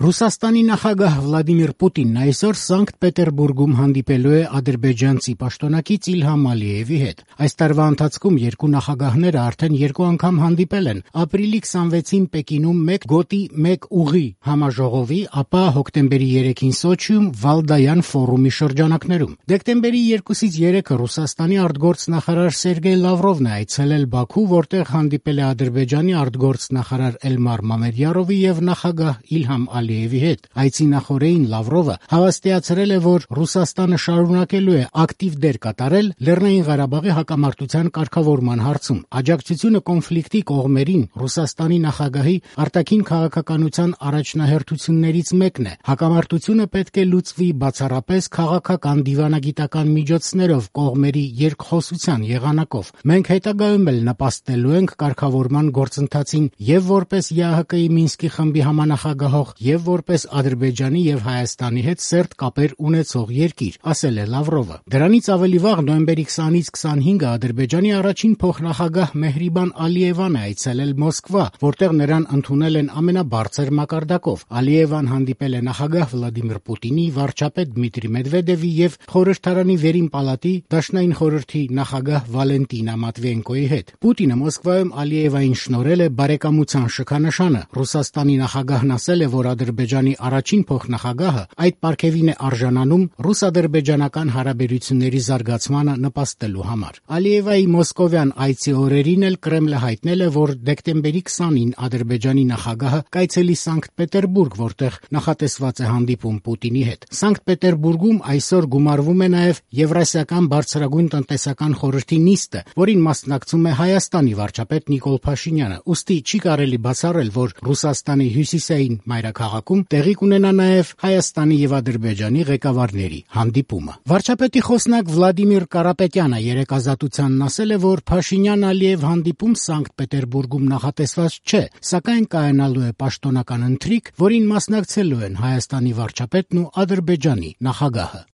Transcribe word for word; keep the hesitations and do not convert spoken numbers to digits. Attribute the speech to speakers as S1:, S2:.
S1: Ռուսաստանի նախագահ Վլադիմիր Պուտինն այսօր Սանկտ Պետերբուրգում հանդիպելու է ադրբեջանցի պաշտոնակից Իլհամ Ալիևի հետ։ Այս տարվա ընթացքում երկու նախագահները արդեն երկու անգամ հանդիպել են ապրիլի քսանվեցին Պեկինում մեկ գոտի մեկ ուղի համաժողովի, ապա հոկտեմբերի երեքին Սոչիում Վալդայան ֆորումի շրջանակներում։ Դեկտեմբերի երկուսից երեքը Ռուսաստանի արտգործնախարար Սերգեյ Լավրովն է այցելել Բաքու, որտեղ հանդիպել է Ադրբեջանի արտգործնախարար Էլմար Մամեդյարովի եւ նախագահ Իլհամ Ալիևի հետ։ Այցի նախօրեին Լավրովը հավաստիացրել է, որ Ռուսաստանը շարունակելու է ակտիվ դեր կատարել Լեռնային Ղարաբաղի հակամարտության կարգավորման հարցում։ Աջակցությունը կոնֆլիկտի կողմերին Ռուսաստանի նախագահի արտաքին քաղաքականության առաջնահերթություններից մեկն է։ Հակամարտությունը պետք է լուծվի բացառապես քաղաքական դիվանագիտական միջոցներով կողմերի երկխոսության եղանակով։ Մենք հետագայում էլ նպաստելու ենք կարգավորման գործընթացին եւ որպես ԵԱՀԿ-ի Մինսկի խմբի համանախագահող եւ որպես Ադրբեջանի եւ Հայաստանի հետ սերտ կապեր ունեցող երկիր, ասել է Լավրովը։ Դրանից ավելի վաղ նոյեմբերի քսանից քսանհինգը Ադրբեջանի առաջին փոխնախագահ Մեհրիբան Ալիևան է այցելել Մոսկվա, որտեղ նրան ընդունել են ամենաբարձր մակարդակով։ Ալիևան հանդիպել է նախագահ Վլադիմիր Պուտինի, վարչապետ Դմիտրի Մեդվեդևի եւ խորհրդարանի վերին պալատի Դաշնային խորհրդի նախագահ Վալենտինա Մատվիենկոյի հետ։ Պուտինը Մոսկվայում Ալիևային շնորհել է բարեկամության շքանշանը։ Ռուսաստանի նախագահն ասել է, որ Ադրբեջանի առաջին փոխնախագահը այդ պարգևին է արժանանում ռուս-ադրբեջանական հարաբերությունների զարգացմանը նպաստելու համար։ Ալիևայի մոսկովյան այցի օրերին էլ Կրեմլը հայտնել է, որ դեկտեմբերի քսանին Ադրբեջանի նախագահը կայցելի Սանկտ Պետերբուրգ, որտեղ նախատեսված է հանդիպում Պուտինի հետ։ Սանկտ Պետերբուրգում այսօր գումարվում է նաև Եվրասիական բարձրագույն տնտեսական խորհրդի նիստը, որին մասնակցում է Հայաստանի վարչապետ Նիկոլ Փաշինյանը։ Ուստի չի կարելի բացառել, որ Ռուսաստանի հյուսիսային մայրաքաղաքում տեղի կունենա նաև Հայաստանի եւ Ադրբեջանի ղեկավարների հանդիպումը։ Վարչապետի խոսնակ Վլադիմիր Կարապետյանը երեկ Ազատությանն ասել է, որ Փաշինյան-Ալիև հանդիպում Սանկտ Պետերբուրգում նախատեսված չէ, սակայն կայանալու է պաշտոնական ընթրիք, որին մասնակցելու են Հայաստանի վարչապետն ու Ադրբեջանի նախագահը։